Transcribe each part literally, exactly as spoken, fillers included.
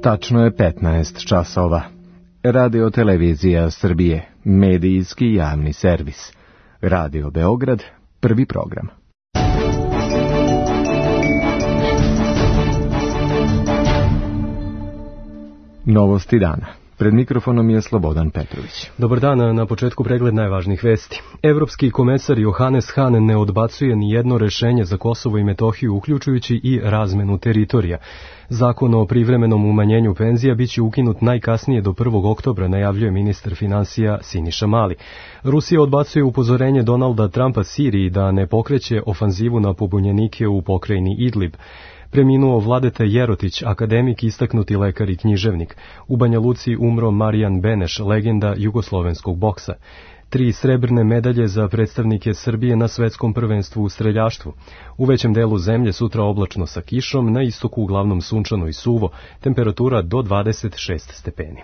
Tačno je petnaest časova. Radio Televizija Srbije, medijski javni servis. Radio Beograd, prvi program. Novosti dana. Pred mikrofonom je Slobodan Petrović. Dobar dan, na početku pregled najvažnijih vesti. Evropski komesar Johannes Hahn ne odbacuje ni jedno rešenje za Kosovo i Metohiju, uključujući i razmenu teritorija. Zakon o privremenom umanjenju penzija biće ukinut najkasnije do prvog oktobra, najavljuje ministar finansija Siniša Mali. Rusija odbacuje upozorenje Donalda Trumpa Siriji da ne pokreće ofanzivu na pobunjenike u pokrajini Idlib. Preminuo Vladeta Jerotić, akademik, istaknuti lekar i književnik. U Banja Luci umro Marijan Beneš, legenda jugoslovenskog boksa. Tri srebrne medalje za predstavnike Srbije na svetskom prvenstvu u streljaštvu. U većem delu zemlje sutra oblačno sa kišom, na istoku uglavnom sunčano i suvo, temperatura do dvadeset šest stepeni.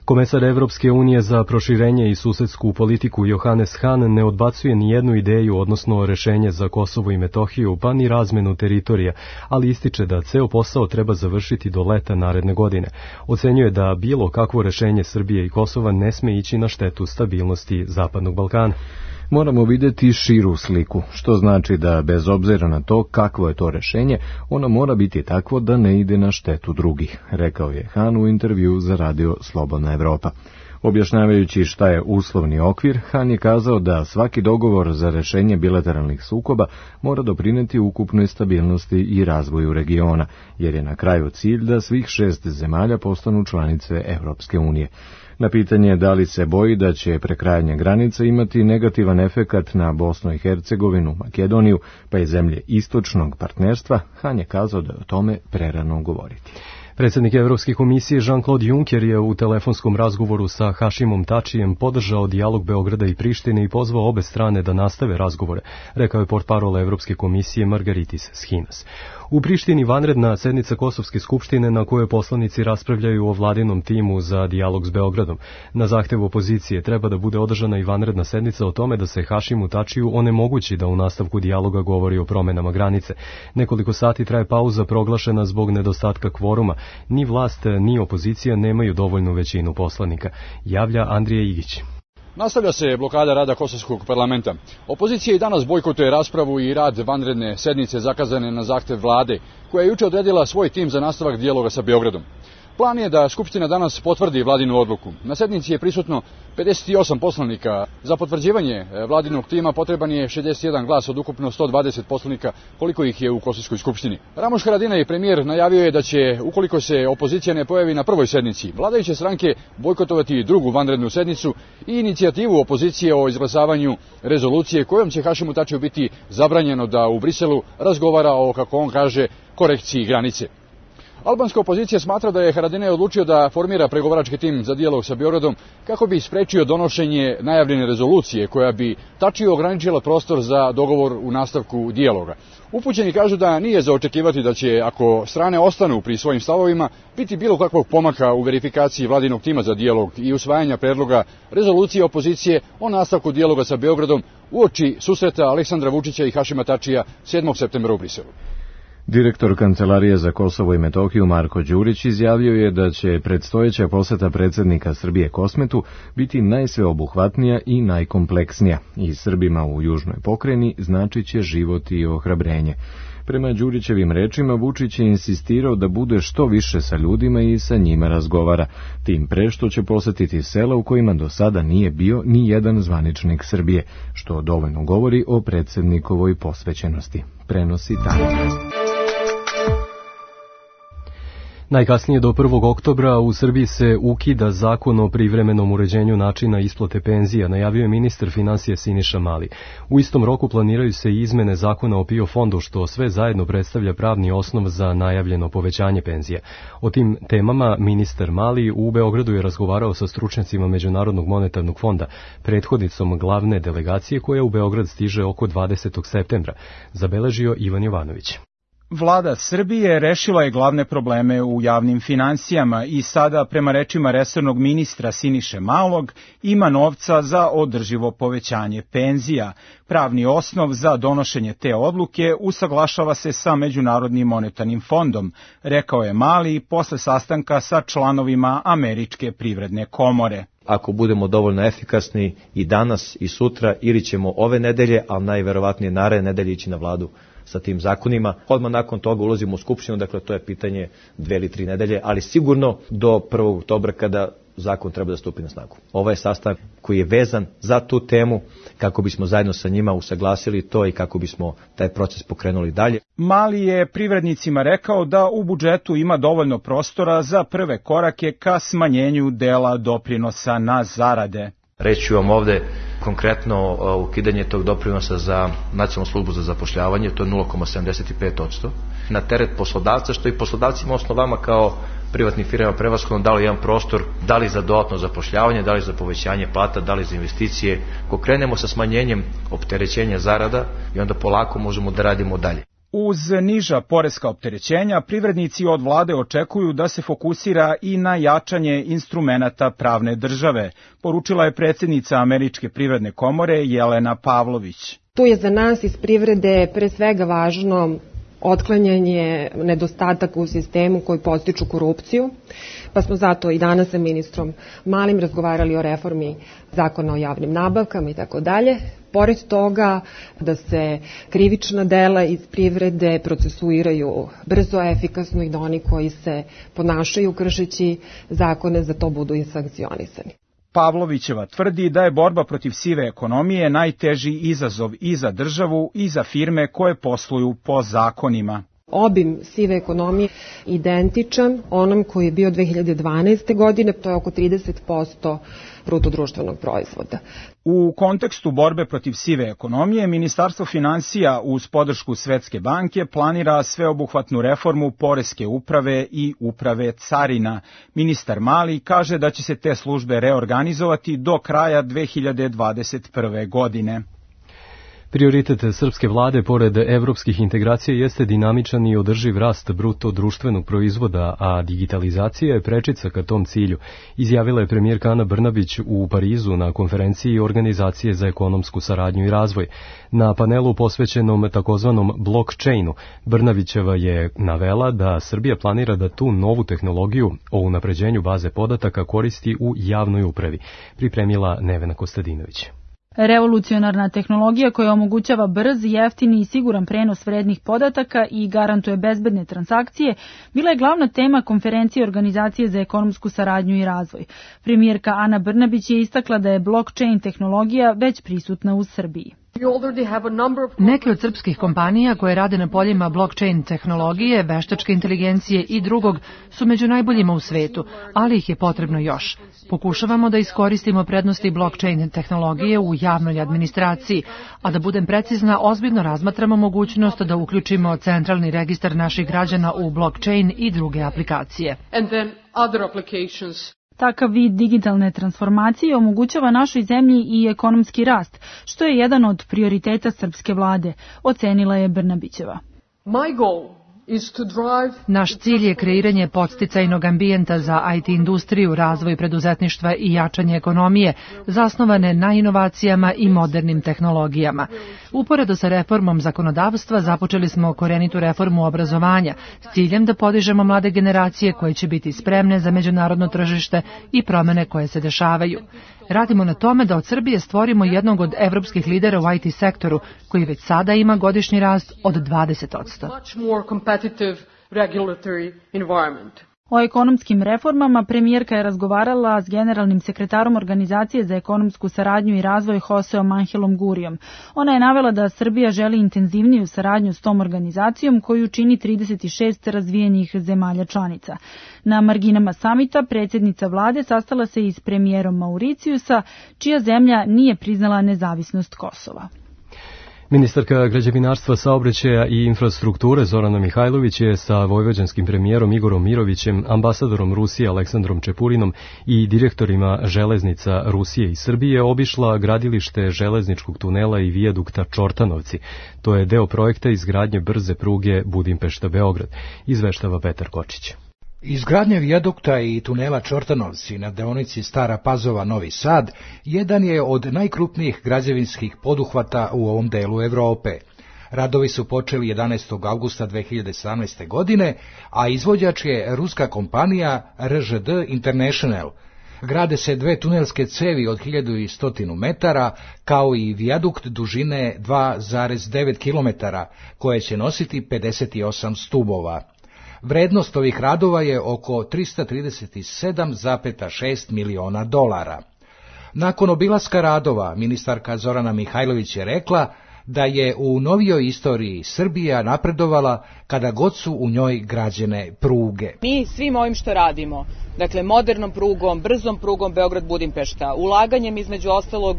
Komesar Evropske unije za proširenje i susedsku politiku Johannes Hahn ne odbacuje ni jednu ideju, odnosno rešenje za Kosovo i Metohiju, pa ni razmenu teritorija, ali ističe da ceo posao treba završiti do leta naredne godine. Ocenjuje da bilo kakvo rešenje Srbije i Kosova ne sme ići na štetu stabilnosti Zapadnog Balkana. Moramo vidjeti širu sliku, što znači da bez obzira na to kakvo je to rešenje, ono mora biti takvo da ne ide na štetu drugih, rekao je Hahn u intervju za radio Slobodna Evropa. Objašnjavajući šta je uslovni okvir, Hahn je kazao da svaki dogovor za rešenje bilateralnih sukoba mora doprineti ukupnoj stabilnosti i razvoju regiona, jer je na kraju cilj da svih šest zemalja postanu članice Evropske unije. Na pitanje da li se boji da će prekrajanje granice imati negativan efekat na Bosnu i Hercegovinu, Makedoniju, pa i zemlje istočnog partnerstva, Hahn je kazao da je o tome prerano govoriti. Predsjednik Evropske komisije Jean-Claude Juncker je u telefonskom razgovoru sa Hašimom Tačijem podržao dijalog Beograda i Prištine i pozvao obe strane da nastave razgovore, rekao je portparol Evropske komisije Margaritis Schinas. U Prištini vanredna sednica Kosovske skupštine na kojoj poslanici raspravljaju o vladinom timu za dijalog s Beogradom. Na zahtev opozicije treba da bude održana i vanredna sednica o tome da se Hašimu Tačiju onemogući da u nastavku dijaloga govori o promenama granice. Nekoliko sati traje pauza proglašena zbog nedostatka kvoruma. Ni vlast, ni opozicija nemaju dovoljnu većinu poslanika, javlja Andrija Igić. Nastavlja se blokada rada Kosovskog parlamenta. Opozicija i danas bojkotuje raspravu i rad vanredne sednice zakazane na zahtev vlade, koja je juče odredila svoj tim za nastavak dijaloga sa Beogradom. Plan je da Skupština danas potvrdi vladinu odluku. Na sednici je prisutno pedeset osam poslanika. Za potvrđivanje vladinog tima potreban je šezdeset jedan glas od ukupno sto dvadeset poslanika, koliko ih je u Kosovskoj skupštini. Ramuš Haradinaj, premijer, najavio je da će, ukoliko se opozicija ne pojavi na prvoj sednici, vladajuće stranke bojkotovati drugu vanrednu sednicu i inicijativu opozicije o izglasavanju rezolucije kojom će Hašimu Tačiju biti zabranjeno da u Briselu razgovara o, kako on kaže, korekciji granice. Albanska opozicija smatra da je Haradinaj odlučio da formira pregovarački tim za dijalog sa Beogradom kako bi sprečio donošenje najavljene rezolucije koja bi Tačiju ograničila prostor za dogovor u nastavku dijaloga. Upućeni kažu da nije za očekivati da će, ako strane ostanu pri svojim stavovima, biti bilo kakvog pomaka u verifikaciji vladinog tima za dijalog i usvajanja predloga rezolucije opozicije o nastavku dijaloga sa Beogradom uoči susreta Aleksandra Vučića i Hašima Tačija sedmog septembra u Briselu. Direktor Kancelarije za Kosovo i Metohiju Marko Đurić izjavio je da će predstojeća poseta predsjednika Srbije Kosmetu biti najsveobuhvatnija i najkompleksnija i Srbima u južnoj pokrajini značit će život i ohrabrenje. Prema Đurićevim rečima, Vučić je insistirao da bude što više sa ljudima i sa njima razgovara, tim pre što će posetiti sela u kojima do sada nije bio ni jedan zvaničnik Srbije, što dovoljno govori o predsjednikovoj posvećenosti. Prenosi Tanja. Najkasnije do prvog oktobra u Srbiji se ukida zakon o privremenom uređenju načina isplate penzija, najavio je ministar finansija Siniša Mali. U istom roku planiraju se i izmene zakona o PIO fondu, što sve zajedno predstavlja pravni osnov za najavljeno povećanje penzija. O tim temama ministar Mali u Beogradu je razgovarao sa stručnjacima Međunarodnog monetarnog fonda, prethodnicom glavne delegacije koja u Beograd stiže oko dvadesetog septembra, zabeležio Ivan Jovanović. Vlada Srbije rešila je glavne probleme u javnim finansijama i sada, prema rečima resornog ministra Siniše Malog, ima novca za održivo povećanje penzija. Pravni osnov za donošenje te odluke usaglašava se sa Međunarodnim monetarnim fondom, rekao je Mali posle sastanka sa članovima Američke privredne komore. Ako budemo dovoljno efikasni i danas i sutra, ili ćemo ove nedelje, ali najverovatnije naredne nedelje ići na vladu sa tim zakonima. Odmah nakon toga ulazimo u Skupštinu, dakle to je pitanje dve ili tri nedelje, ali sigurno do prvog oktobra kada zakon treba da stupi na snagu. Ovo je sastanak koji je vezan za tu temu kako bismo zajedno sa njima usaglasili to i kako bismo taj proces pokrenuli dalje. Mali je privrednicima rekao da u budžetu ima dovoljno prostora za prve korake ka smanjenju dela doprinosa na zarade. Reći ću vam ovde konkretno ukidanje tog doprinosa za Nacionalnu službu za zapošljavanje, to je nula zarez sedamdeset pet posto. Na teret poslodavca, što i poslodavcima osnovama kao privatnim firmama prevashodno dali jedan prostor, da li za dodatno zapošljavanje, da li za povećanje plata, da li za investicije. Ako krenemo sa smanjenjem opterećenja zarada i onda polako možemo da radimo dalje. Uz niža poreska opterećenja, privrednici od vlade očekuju da se fokusira i na jačanje instrumenata pravne države, poručila je predsjednica Američke privredne komore Jelena Pavlović. Tu je za nas iz privrede pre svega važno otklanjanje nedostataka u sistemu koji podstiču korupciju, pa smo zato i danas sa ministrom Malim razgovarali o reformi zakona o javnim nabavkama i tako dalje. Pored toga da se krivična dela iz privrede procesuiraju brzo, efikasno i da oni koji se ponašaju kršeći zakone za to budu i sankcionisani. Pavlovićeva tvrdi da je borba protiv sive ekonomije najteži izazov i za državu i za firme koje posluju po zakonima. Obim sive ekonomije identičan onom koji je bio dve hiljade dvanaeste. godine, to je oko trideset posto bruto društvenog proizvoda. U kontekstu borbe protiv sive ekonomije, Ministarstvo finansija uz podršku Svetske banke planira sveobuhvatnu reformu poreske uprave i uprave carina. Ministar Mali kaže da će se te službe reorganizovati do kraja dve hiljade dvadeset prve. godine. Prioritet srpske vlade pored evropskih integracija jeste dinamičan i održiv rast bruto društvenog proizvoda, a digitalizacija je prečica ka tom cilju, izjavila je premijerka Ana Brnabić u Parizu na konferenciji Organizacije za ekonomsku saradnju i razvoj. Na panelu posvećenom takozvanom blockchainu, Brnabićeva je navela da Srbija planira da tu novu tehnologiju o unapređenju baze podataka koristi u javnoj upravi, pripremila Nevena Kostadinović. Revolucionarna tehnologija koja omogućava brz, jeftini i siguran prenos vrednih podataka i garantuje bezbedne transakcije bila je glavna tema konferencije Organizacije za ekonomsku saradnju i razvoj. Premijerka Ana Brnabić je istakla da je blockchain tehnologija već prisutna u Srbiji. Neke od srpskih kompanija koje rade na poljima blockchain tehnologije, veštačke inteligencije i drugog su među najboljima u svetu, ali ih je potrebno još. Pokušavamo da iskoristimo prednosti blockchain tehnologije u javnoj administraciji, a da budem precizna, ozbiljno razmatramo mogućnost da uključimo centralni registar naših građana u blockchain i druge aplikacije. Takav vid digitalne transformacije omogućava našoj zemlji i ekonomski rast, što je jedan od prioriteta srpske vlade, ocenila je Brnabićeva. Naš cilj je kreiranje podsticajnog ambijenta za I T industriju, razvoj preduzetništva i jačanje ekonomije, zasnovane na inovacijama i modernim tehnologijama. Uporedo sa reformom zakonodavstva započeli smo korenitu reformu obrazovanja s ciljem da podižemo mlade generacije koje će biti spremne za međunarodno tržište i promene koje se dešavaju. Radimo na tome da od Srbije stvorimo jednog od evropskih lidera u I T sektoru, koji već sada ima godišnji rast od dvadeset posto. O ekonomskim reformama premijerka je razgovarala s generalnim sekretarom Organizacije za ekonomsku saradnju i razvoj Joseom Angelom Gurijom. Ona je navela da Srbija želi intenzivniju saradnju s tom organizacijom koju čini trideset šest razvijenih zemalja članica. Na marginama samita predsjednica vlade sastala se i s premijerom Mauricijusa, čija zemlja nije priznala nezavisnost Kosova. Ministarka građevinarstva, saobraćaja i infrastrukture Zorana Mihajlović je sa vojvođanskim premijerom Igorom Mirovićem, ambasadorom Rusije Aleksandrom Čepurinom i direktorima železnica Rusije i Srbije obišla gradilište železničkog tunela i vijadukta Čortanovci. To je deo projekta izgradnje brze pruge Budimpešta-Beograd, izveštava Petar Kočić. Izgradnja vijadukta i tunela Čortanovci na deonici Stara Pazova-Novi Sad jedan je od najkrupnijih građevinskih poduhvata u ovom delu Evrope. Radovi su počeli jedanaestog avgusta dve hiljade sedamnaeste. godine, a izvođač je ruska kompanija R Ž D International. Grade se dve tunelske cevi od hiljadu sto metara, kao i vijadukt dužine dva zarez devet kilometara, koje će nositi pedeset osam stubova. Vrednost ovih radova je oko trista trideset sedam zarez šest miliona dolara. Nakon obilaska radova, ministarka Zorana Mihajlović je rekla da je u novijoj istoriji Srbija napredovala kada god su u njoj građene pruge. Mi svim ovim što radimo, dakle modernom prugom, brzom prugom Beograd-Budimpešta, ulaganjem između ostalog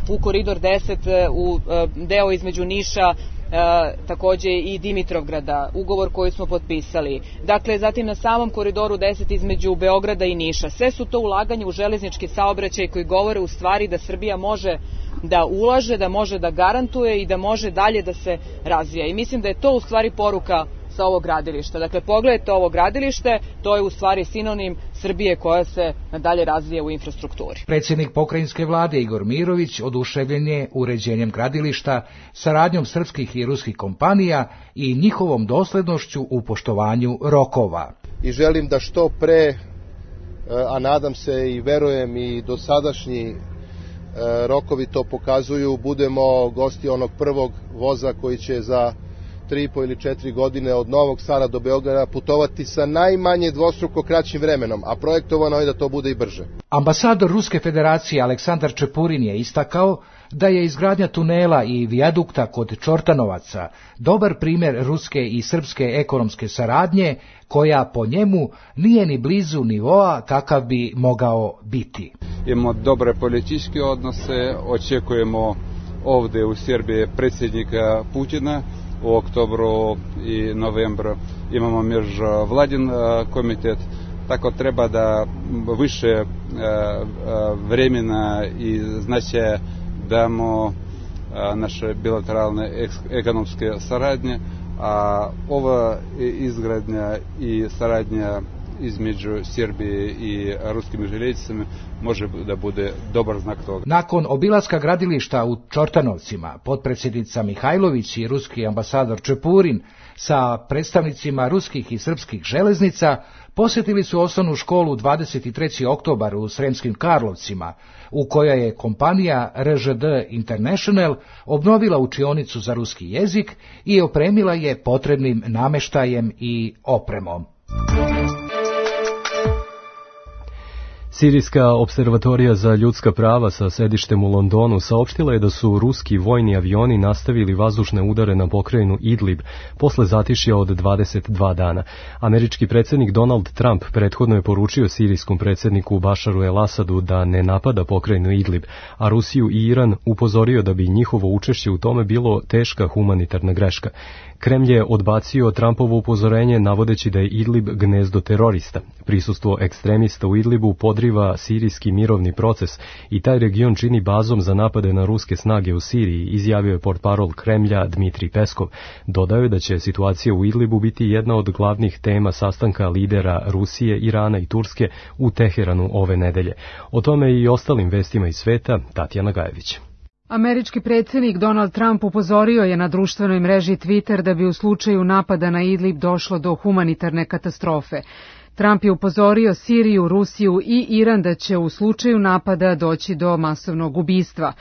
u koridor deset, u deo između Niša, E, takođe i Dimitrovgrada, ugovor koji smo potpisali. Dakle, zatim na samom koridoru deset između Beograda i Niša. Sve su to ulaganje u železnički saobraćaj koji govore u stvari da Srbija može da ulaže, da može da garantuje i da može dalje da se razvija. I mislim da je to u stvari poruka sa ovog gradilišta. Dakle, pogledajte ovo gradilište, to je u stvari sinonim Srbije koja se nadalje razvija u infrastrukturi. Predsjednik pokrajinske vlade Igor Mirović oduševljen je uređenjem gradilišta, saradnjom srpskih i ruskih kompanija i njihovom doslednošću u poštovanju rokova. I želim da što pre, a nadam se i verujem i dosadašnji rokovi to pokazuju, budemo gosti onog prvog voza koji će za tri i po ili četiri godine od Novog Sada do Beograda putovati sa najmanje dvostruko kraćim vremenom, a projektovano je da to bude i brže. Ambasador Ruske federacije Aleksandar Čepurin je istakao da je izgradnja tunela i vijadukta kod Čortanovaca dobar primjer ruske i srpske ekonomske saradnje, koja po njemu nije ni blizu nivoa kakav bi mogao biti. Imamo dobre političke odnose, očekujemo ovde u Srbiji predsjednika Putina. U oktobru i novembru imamo međuvladin komitet, tako treba da više vremena i značaja damo naše bilateralne ekonomske saradnje, a ova izgradnja i saradnja između Srbije i ruskim željeznicama može da bude dobar znak toga. Nakon obilaska gradilišta u Čortanovcima, potpredsjednica Mihajlović i ruski ambasador Čepurin sa predstavnicima ruskih i srpskih železnica posjetili su osnovnu školu dvadeset treći oktobar u Sremskim Karlovcima, u kojoj je kompanija R Ž D International obnovila učionicu za ruski jezik i opremila je potrebnim nameštajem i opremom. Sirijska observatorija za ljudska prava sa sedištem u Londonu saopštila je da su ruski vojni avioni nastavili vazdušne udare na pokrajinu Idlib posle zatišja od dvadeset dva dana. Američki predsjednik Donald Trump prethodno je poručio sirijskom predsjedniku Bašaru el-Asadu da ne napada pokrajinu Idlib, a Rusiju i Iran upozorio da bi njihovo učešće u tome bilo teška humanitarna greška. Kremlj je odbacio Trumpovo upozorenje navodeći da je Idlib gnezdo terorista. Prisustvo ekstremista u Idlibu podriva sirijski mirovni proces i taj region čini bazom za napade na ruske snage u Siriji, izjavio je portparol Kremlja Dmitrij Peskov. Dodao je da će situacija u Idlibu biti jedna od glavnih tema sastanka lidera Rusije, Irana i Turske u Teheranu ove nedelje. O tome i ostalim vestima iz sveta, Tatjana Gajević. Američki predsjednik Donald Trump upozorio je na društvenoj mreži Twitter da bi u slučaju napada na Idlib došlo do humanitarne katastrofe. Trump je upozorio Siriju, Rusiju i Iran da će u slučaju napada doći do masovnog ubistva.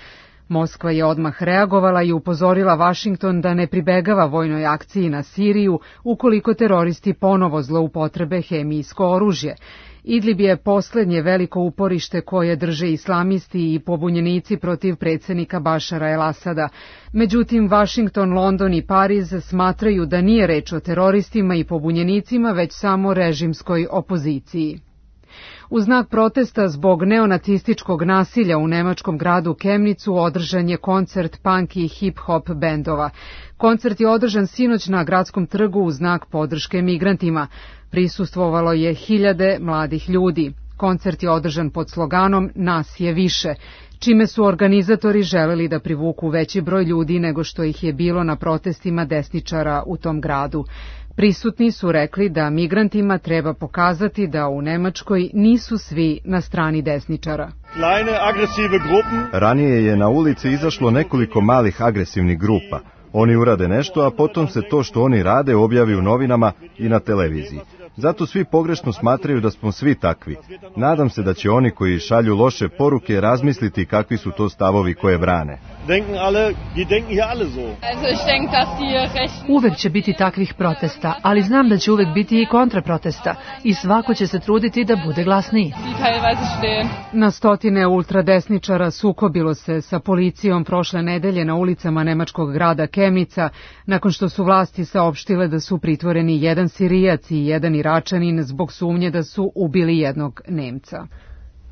Moskva je odmah reagovala i upozorila Vašington da ne pribegava vojnoj akciji na Siriju ukoliko teroristi ponovo zloupotrebe hemijsko oružje. Idlib je posljednje veliko uporište koje drže islamisti i pobunjenici protiv predsjednika Bašara el-Asada. Međutim, Vašington, London i Pariz smatraju da nije reč o teroristima i pobunjenicima, već samo režimskoj opoziciji. U znak protesta zbog neonacističkog nasilja u nemačkom gradu Kemnicu održan je koncert punk i hip-hop bendova. Koncert je održan sinoć na gradskom trgu u znak podrške migrantima. Prisustvovalo je hiljade mladih ljudi. Koncert je održan pod sloganom Nas je više, čime su organizatori želeli da privuku veći broj ljudi nego što ih je bilo na protestima desničara u tom gradu. Prisutni su rekli da migrantima treba pokazati da u Nemačkoj nisu svi na strani desničara. Ranije je na ulici izašlo nekoliko malih agresivnih grupa. Oni urade nešto, a potom se to što oni rade objavi u novinama i na televiziji. Zato svi pogrešno smatraju da smo svi takvi. Nadam se da će oni koji šalju loše poruke razmisliti kakvi su to stavovi koje brane. Uvek će biti takvih protesta, ali znam da će uvek biti i kontraprotesta i svako će se truditi da bude glasniji. Na stotine ultradesničara sukobilo se sa policijom prošle nedelje na ulicama nemačkog grada Kemnica, nakon što su vlasti saopštile da su pritvoreni jedan Sirijac i jedan Iračanin zbog sumnje da su ubili jednog Nemca.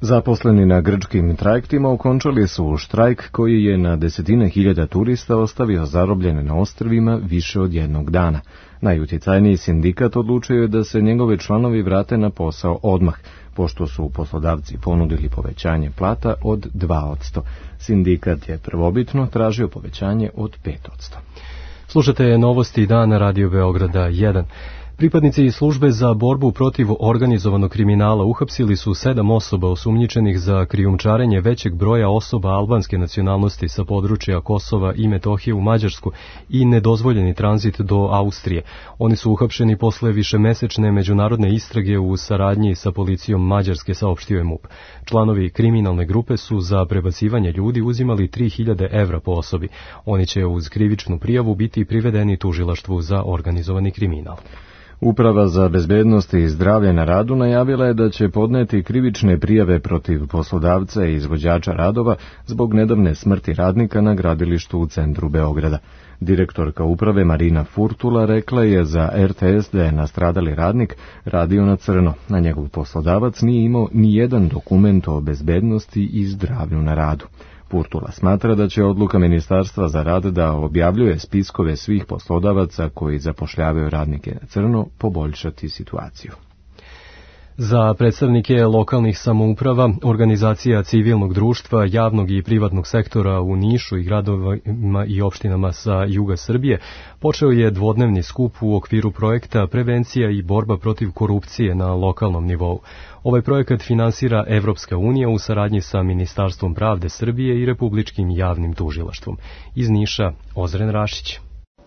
Zaposleni na grčkim trajektima okončali su štrajk koji je na desetine hiljada turista ostavio zarobljene na ostrvima više od jednog dana. Najutjecajniji sindikat odlučio je da se njegove članovi vrate na posao odmah, pošto su poslodavci ponudili povećanje plata od dva posto. Sindikat je prvobitno tražio povećanje od pet posto. Slušate novosti dana Radio Beograda jedan. Pripadnici iz službe za borbu protiv organizovanog kriminala uhapsili su sedam osoba osumnjičenih za krijumčarenje većeg broja osoba albanske nacionalnosti sa područja Kosova i Metohije u Mađarsku i nedozvoljeni tranzit do Austrije. Oni su uhapšeni posle višemesečne međunarodne istrage u saradnji sa policijom Mađarske, saopštio je MUP. Članovi kriminalne grupe su za prebacivanje ljudi uzimali tri hiljade evra po osobi. Oni će uz krivičnu prijavu biti privedeni tužilaštvu za organizovani kriminal. Uprava za bezbednost i zdravlje na radu najavila je da će podneti krivične prijave protiv poslodavca i izvođača radova zbog nedavne smrti radnika na gradilištu u centru Beograda. Direktorka uprave Marina Furtula rekla je za R T S da je nastradali radnik radio na crno, a njegov poslodavac nije imao ni jedan dokument o bezbednosti i zdravlju na radu. Furtula smatra da će odluka Ministarstva za rad da objavljuje spiskove svih poslodavaca koji zapošljavaju radnike na crno poboljšati situaciju. Za predstavnike lokalnih samouprava, organizacija civilnog društva, javnog i privatnog sektora u Nišu i gradovima i opštinama sa juga Srbije počeo je dvodnevni skup u okviru projekta Prevencija i borba protiv korupcije na lokalnom nivou. Ovaj projekat finansira Evropska unija u saradnji sa Ministarstvom pravde Srbije i Republičkim javnim tužilaštvom. Iz Niša, Ozren Rašić.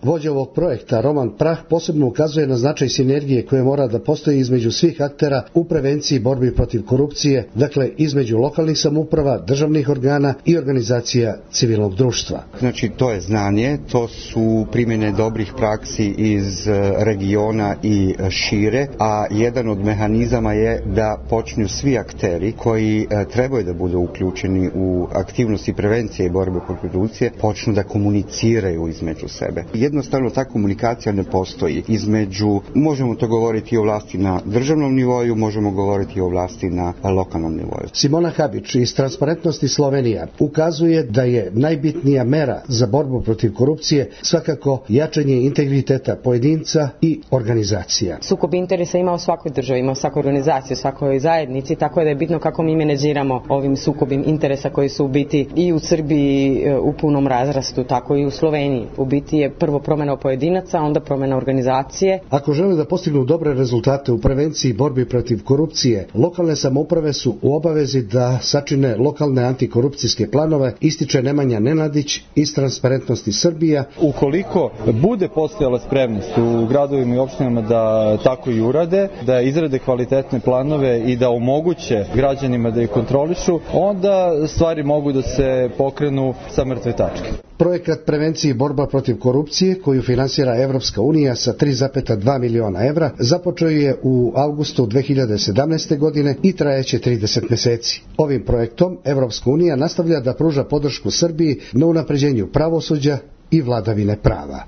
Vođa ovog projekta, Roman Prah, posebno ukazuje na značaj sinergije koje mora da postoji između svih aktera u prevenciji i borbi protiv korupcije, dakle između lokalnih samouprava, državnih organa i organizacija civilnog društva. Znači to je znanje, to su primjene dobrih praksi iz regiona i šire, a jedan od mehanizama je da počnu svi akteri koji trebaju da budu uključeni u aktivnosti prevencije i borbe protiv korupcije, počnu da komuniciraju između sebe. Jednostavno ta komunikacija ne postoji između, možemo to govoriti o vlasti na državnom nivoju, možemo govoriti o vlasti na lokalnom nivoju. Simona Habić iz Transparentnosti Slovenija ukazuje da je najbitnija mera za borbu protiv korupcije svakako jačanje integriteta pojedinca i organizacija. Sukob interesa ima u svakoj državi, ima u svakoj organizaciji, u svakoj zajednici, tako da je bitno kako mi menadžiramo ovim sukobim interesa koji su u biti i u Srbiji u punom razrastu, tako i u Sloveniji. U biti je prvo promjena pojedinaca, onda promjena organizacije. Ako žele da postignu dobre rezultate u prevenciji i borbi protiv korupcije, lokalne samouprave su u obavezi da sačine lokalne antikorupcijske planove, ističe Nemanja Nenadić iz Transparentnosti Srbija. Ukoliko bude postojala spremnost u gradovima i opštinama da tako i urade, da izrade kvalitetne planove i da omoguće građanima da ih kontrolišu, onda stvari mogu da se pokrenu sa mrtve tačke. Projekat Prevencije i borba protiv korupcije, koju finansira Evropska unija sa tri zarez dva miliona evra, započeo je u avgustu dve hiljade sedamnaeste. godine i trajeće trideset meseci. Ovim projektom Evropska unija nastavlja da pruža podršku Srbiji na unapređenju pravosuđa i vladavine prava.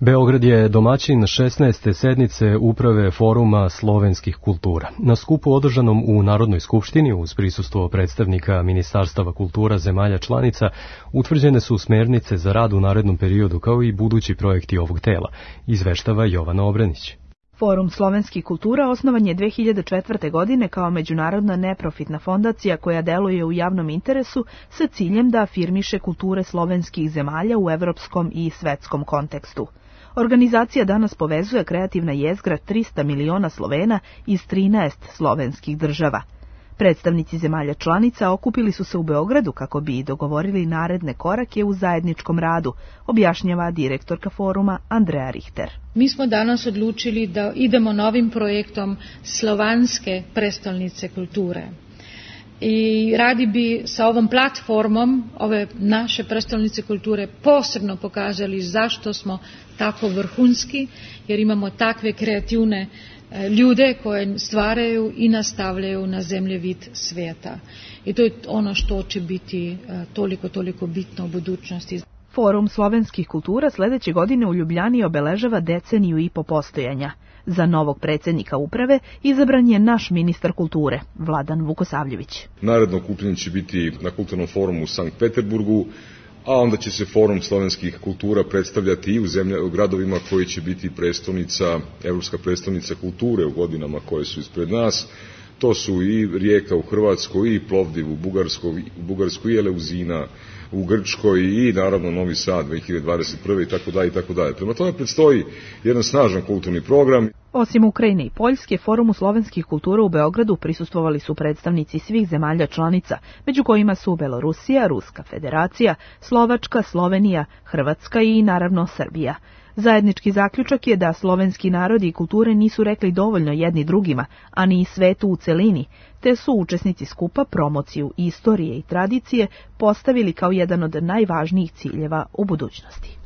Beograd je domaćin šesnaeste sednice Uprave Foruma slovenskih kultura. Na skupu održanom u Narodnoj skupštini uz prisustvo predstavnika Ministarstava kultura zemalja članica utvrđene su smernice za rad u narednom periodu kao i budući projekti ovog tela, izveštava Jovana Obrenić. Forum slovenskih kultura osnovan je dve hiljade četvrte. godine kao međunarodna neprofitna fondacija koja deluje u javnom interesu sa ciljem da afirmiše kulture slovenskih zemalja u evropskom i svetskom kontekstu. Organizacija danas povezuje kreativna jezgra trista miliona Slovena iz trinaest slovenskih država. Predstavnici zemalja članica okupili su se u Beogradu kako bi dogovorili naredne korake u zajedničkom radu, objašnjava direktorka foruma Andreja Richter. Mi smo danas odlučili da idemo novim projektom Slovanske prestolnice kulture. I radi bi sa ovom platformom ove naše prestolnice kulture posebno pokazali zašto smo tako vrhunski, jer imamo takve kreativne ljude koje stvaraju i nastavljaju na zemljevid svijeta. I to je ono što će biti toliko, toliko bitno u budućnosti. Forum slovenskih kultura sljedeće godine u Ljubljani obeležava deceniju i po postojanja. Za novog predsjednika uprave izabran je naš ministar kulture, Vladan Vukosavljević. Naredno okupljanje će biti na Kulturnom forumu u Sankt Peterburgu, a onda će se Forum slovenskih kultura predstavljati i u, zemlja, u gradovima koji će biti prestolnica, evropska prestolnica kulture u godinama koje su ispred nas. To su i Rijeka u Hrvatskoj, i Plovdiv u Bugarskoj, u Bugarskoj, i Eleuzina u Grčkoj, i naravno Novi Sad dve hiljade dvadeset prve. i tako dalje i tako dalje. Prema tome predstoji jedan snažan kulturni program. Osim Ukrajine i Poljske, Forumu slovenskih kultura u Beogradu prisustvovali su predstavnici svih zemalja članica, među kojima su Belorusija, Ruska federacija, Slovačka, Slovenija, Hrvatska i naravno Srbija. Zajednički zaključak je da slovenski narodi i kulture nisu rekli dovoljno jedni drugima, a ni svetu u celini, te su učesnici skupa promociju istorije i tradicije postavili kao jedan od najvažnijih ciljeva u budućnosti.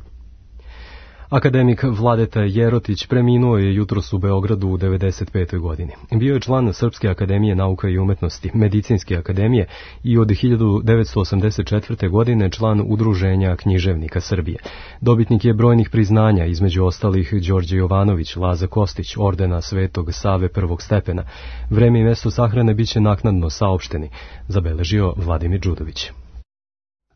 Akademik Vladeta Jerotić preminuo je jutros u Beogradu u devedeset petoj. godini. Bio je član Srpske akademije nauka i umetnosti, Medicinske akademije i od hiljadu devetsto osamdeset četvrte. godine član Udruženja književnika Srbije. Dobitnik je brojnih priznanja, između ostalih Đorđe Jovanović, Laza Kostić, ordena Svetog Save prvog stepena. Vreme i mesto sahrane biće naknadno saopšteni, zabeležio Vladimir Đudović.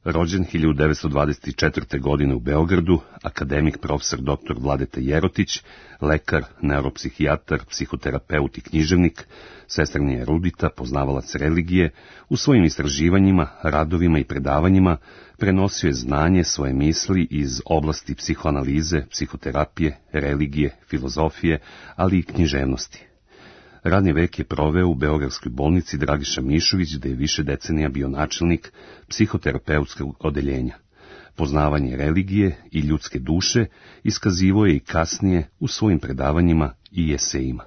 Rođen hiljadu devetsto dvadeset četvrte. godine u Beogradu, akademik profesor doktor Vladeta Jerotić, lekar, neuropsihijatar, psihoterapeut i književnik, sestrni erudita, poznavalac religije, u svojim istraživanjima, radovima i predavanjima prenosio je znanje, svoje misli iz oblasti psihoanalize, psihoterapije, religije, filozofije, ali i književnosti. Radni vek je proveo u Beogradskoj bolnici Dragiša Mišović, gde je više decenija bio načelnik psihoterapeutskog odeljenja. Poznavanje religije i ljudske duše iskazivo je i kasnije u svojim predavanjima i esejima.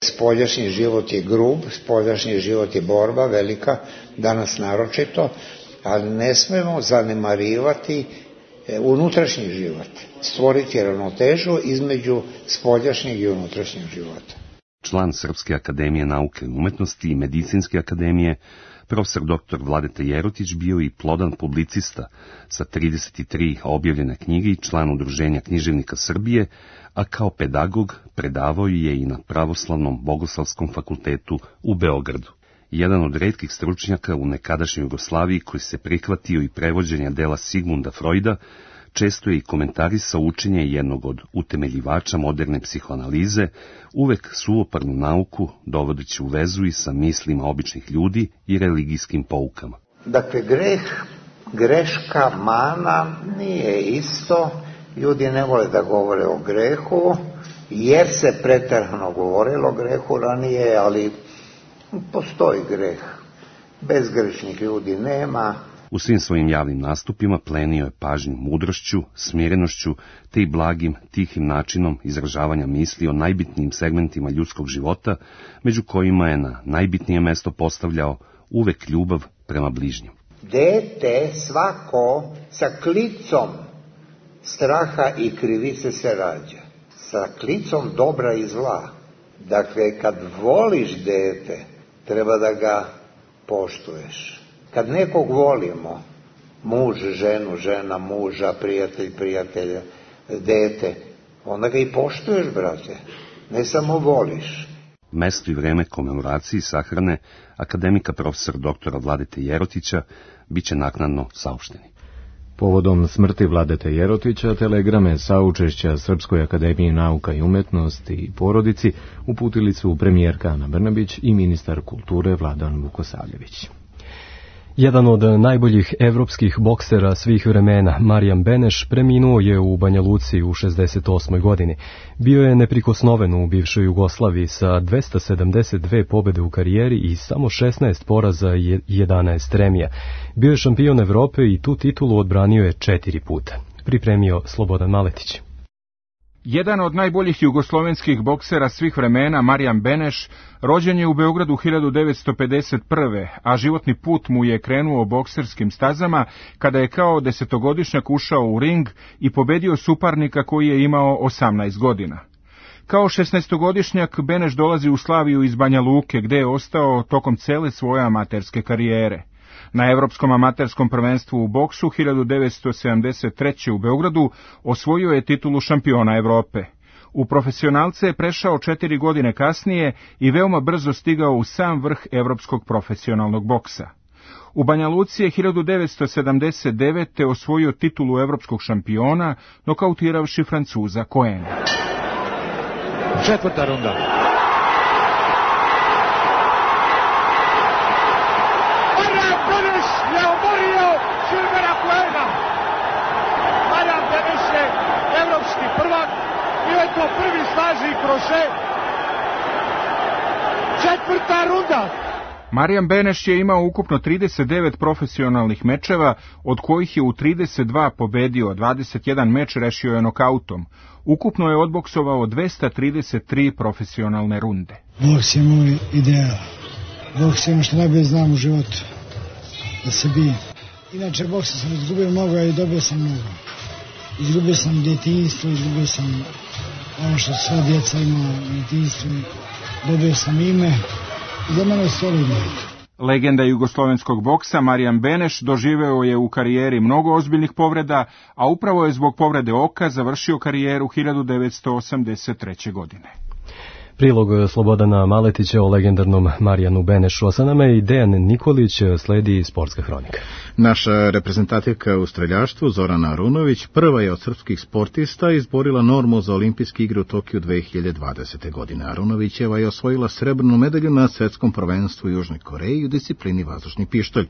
Spoljašnji život je grub, spoljašnji život je borba velika, danas naročito, ali ne smemo zanemarivati unutrašnji život, stvoriti ravnotežu između spoljašnjeg i unutrašnjeg života. Član Srpske akademije nauke i umetnosti i Medicinske akademije, profesor doktor Vladeta Jerotić bio i plodan publicista sa trideset tri objavljene knjige i član Udruženja književnika Srbije, a kao pedagog predavao je i na Pravoslavnom bogoslovskom fakultetu u Beogradu. Jedan od retkih stručnjaka u nekadašnjoj Jugoslaviji koji se prihvatio i prevođenja dela Sigmunda Freuda, često je i komentarisao učenje jednog od utemeljivača moderne psihoanalize, uvek suvoparnu nauku dovodeći u vezu i sa mislima običnih ljudi i religijskim poukama. Dakle, greh, greška, mana nije isto. Ljudi ne vole da govore o grehu, jer se preterano govorilo o grehu ranije, ali postoji greh. Bezgrešnih ljudi nema. U svim svojim javnim nastupima plenio je pažnju mudrošću, smirenošću, te i blagim, tihim načinom izražavanja misli o najbitnijim segmentima ljudskog života, među kojima je na najbitnije mesto postavljao uvek ljubav prema bližnjem. Dete svako sa klicom straha i krivice se rađa, sa klicom dobra i zla. Dakle, kad voliš dete, treba da ga poštuješ. Kad nekog volimo, muž, ženu, žena, muža, prijatelj, prijatelja, dete, onda ga i poštuješ, brate. Ne samo voliš. Mesto i vreme komemoraciji sahrane akademika profesor doktora Vladete Jerotića biće naknadno saopšteni. Povodom smrti Vladete Jerotića, telegrame saučešća Srpskoj akademiji nauka i umetnosti i porodici uputili su premijerka Ana Brnabić i ministar kulture Vladan Vukosavljević. Jedan od najboljih evropskih boksera svih vremena, Marijan Beneš, preminuo je u Banja Luci u šezdeset osmoj godini. Bio je neprikosnoven u bivšoj Jugoslaviji sa dvesta sedamdeset dve pobede u karijeri i samo šesnaest poraza i jedanaest remija. Bio je šampion Evrope i tu titulu odbranio je četiri puta. Pripremio Slobodan Maletić. Jedan od najboljih jugoslovenskih boksera svih vremena, Marijan Beneš, rođen je u Beogradu hiljadu devetsto pedeset prve. a životni put mu je krenuo bokserskim stazama kada je kao desetogodišnjak ušao u ring i pobedio suparnika koji je imao osamnaest godina. Kao šesnaestogodišnjak Beneš dolazi u Slaviju iz Banja Luke, gde je ostao tokom cele svoje amaterske karijere. Na Evropskom amaterskom prvenstvu u boksu hiljadu devetsto sedamdeset treće. u Beogradu osvojio je titulu šampiona Evrope. U profesionalce je prešao četiri godine kasnije i veoma brzo stigao u sam vrh evropskog profesionalnog boksa. U Banja Luci je hiljadu devetsto sedamdeset devete. osvojio titulu evropskog šampiona, nokautiravši Francuza Coena. Četvrta runda. Prvi slaži kroše. Četvrta runda. Marijan Beneš je imao ukupno trideset devet profesionalnih mečeva, od kojih je u trideset dva pobedio, dvadeset jedan meč rešio je nokautom. Ukupno je odboksovao dvesta trideset tri profesionalne runde. Boks je moj ideal. Boks je ono što najbolje znam u životu. Da se bijem. Inače, boksa sam izgubio mnogo i dobio sam mnogo. Izgubio sam djetinjstvo, izgubio sam ono što sva djeca ima u djetinjstvu, dobio sam ime i za mene je solidno. Legenda jugoslovenskog boksa Marijan Beneš doživeo je u karijeri mnogo ozbiljnih povreda, a upravo je zbog povrede oka završio karijeru hiljadu devetsto osamdeset treće. godine. Prilog Slobodana Maletića o legendarnom Marijanu Benešu, a sa nama je i Dejan Nikolić, sledi sportska hronika. Naša reprezentativka u streljaštvu Zorana Arunović prva je od srpskih sportista izborila normu za olimpijske igre u Tokiju dve hiljade dvadesete. godine. Arunovićeva je osvojila srebrnu medalju na svetskom prvenstvu u Južnoj Koreji u disciplini vazdušni pištolj.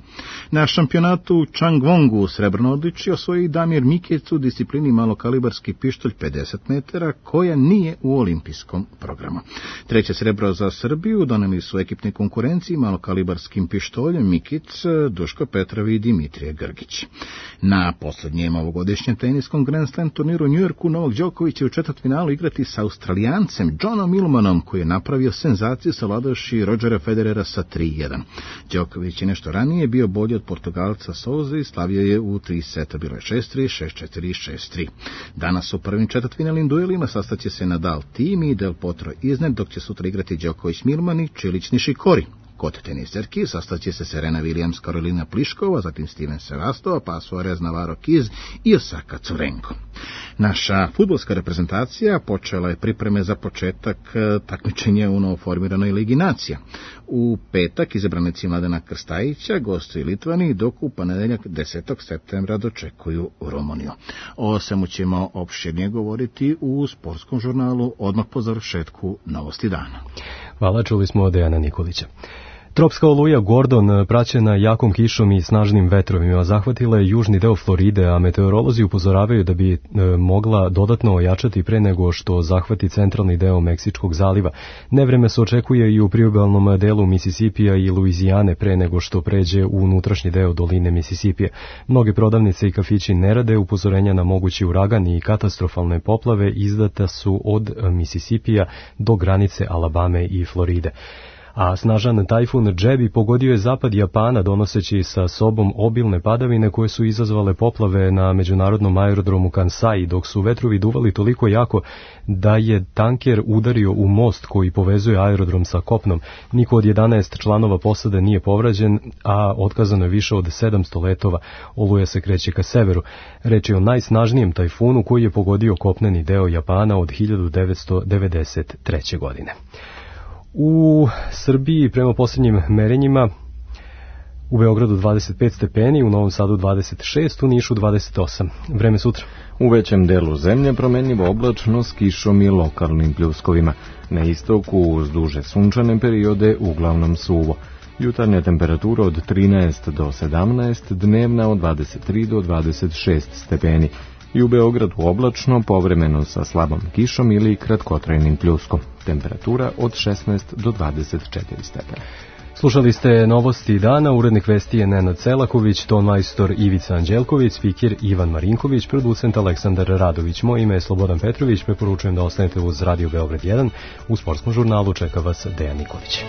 Na šampionatu u Changwongu srebrno odličje osvojio i Damir Mikec u disciplini malokalibarski pištolj pedeset metara, koja nije u olimpijskom programu. Treće srebro za Srbiju doneli su ekipne konkurenciji malokalibarskim pištoljem Mikic, Duško Petrov i Dimitrije Grgić. Na poslednjem ovogodišnjem teniskom Grand Slam turniru u Njujorku Novak Đoković će u četvrtfinalu igrati sa Australijancem Johnom Millmanom, koji je napravio senzaciju savladavši Rodgera Federera sa tri jedan. Đoković je nešto ranije bio bolji od Portugalca Souza i slavio je u tri seta, bilo je šest tri, šest četiri i šest tri. Danas u prvim četvrtfinalnim duelima sastaće se Nadal Thiem i Del Potro iznad, dok će sutra igrati Đoković Millman i Čilić Nišikori. Kod teniserki sastaće se Serena Williams, Karolina Pliškova, zatim Steven Sevastova, pa Suarez, Navarro Kiz i Osaka Curenko. Naša fudbalska reprezentacija počela je pripreme za početak takmičenja u novoformiranoj Ligi nacija. U petak izabranici Mladena Krstajića gostuju Litvani, dok u ponedeljak desetog septembra dočekuju Rumuniju. O svemu ćemo opširnije govoriti u sportskom žurnalu odmah po završetku Novosti dana. Hvala, čuli smo od Dejana Nikolića. Tropska oluja Gordon, praćena jakom kišom i snažnim vetrovima, zahvatila je južni deo Floride, a meteorolozi upozoravaju da bi e, mogla dodatno ojačati pre nego što zahvati centralni deo Meksičkog zaliva. Nevreme se očekuje i u priobalnom delu Misisipija i Luizijane pre nego što pređe u unutrašnji deo doline Misisipije. Mnoge prodavnice i kafići ne rade, upozorenja na mogući uragan i katastrofalne poplave izdata su od Misisipija do granice Alabame i Floride. a snažan tajfun Jebi pogodio je zapad Japana donoseći sa sobom obilne padavine koje su izazvale poplave na međunarodnom aerodromu Kansai, dok su vetrovi duvali toliko jako da je tanker udario u most koji povezuje aerodrom sa kopnom. Niko od jedanaest članova posade nije povrađen, a otkazano je više od sedamsto letova. Oluja se kreće ka severu. Reč je o najsnažnijem tajfunu koji je pogodio kopneni deo Japana od hiljadu devetsto devedeset treće. godine. U Srbiji prema posljednjim merenjima u Beogradu dvadeset pet stepeni, u Novom Sadu dvadeset šest, u Nišu dvadeset osam. Vreme sutra. U većem delu zemlje promenljivo oblačno s kišom i lokalnim pljuskovima. Na istoku uz duže sunčane periode uglavnom suvo. Jutarnja temperatura od trinaest do sedamnaest, dnevna od dvadeset tri do dvadeset šest stepeni. I u Beogradu oblačno, povremeno sa slabom kišom ili kratkotrajnim pljuskom. Temperatura od šesnaest do dvadeset četiri stepena. Slušali ste novosti dana, urednik vesti je Nenad Selaković, ton majstor Ivica Anđelković, spikir Ivan Marinković, producent Aleksandar Radović. Moje ime je Slobodan Petrović, preporučujem da ostanete uz Radio Beograd jedan. U sportskom žurnalu čeka vas Dejan Nikolić.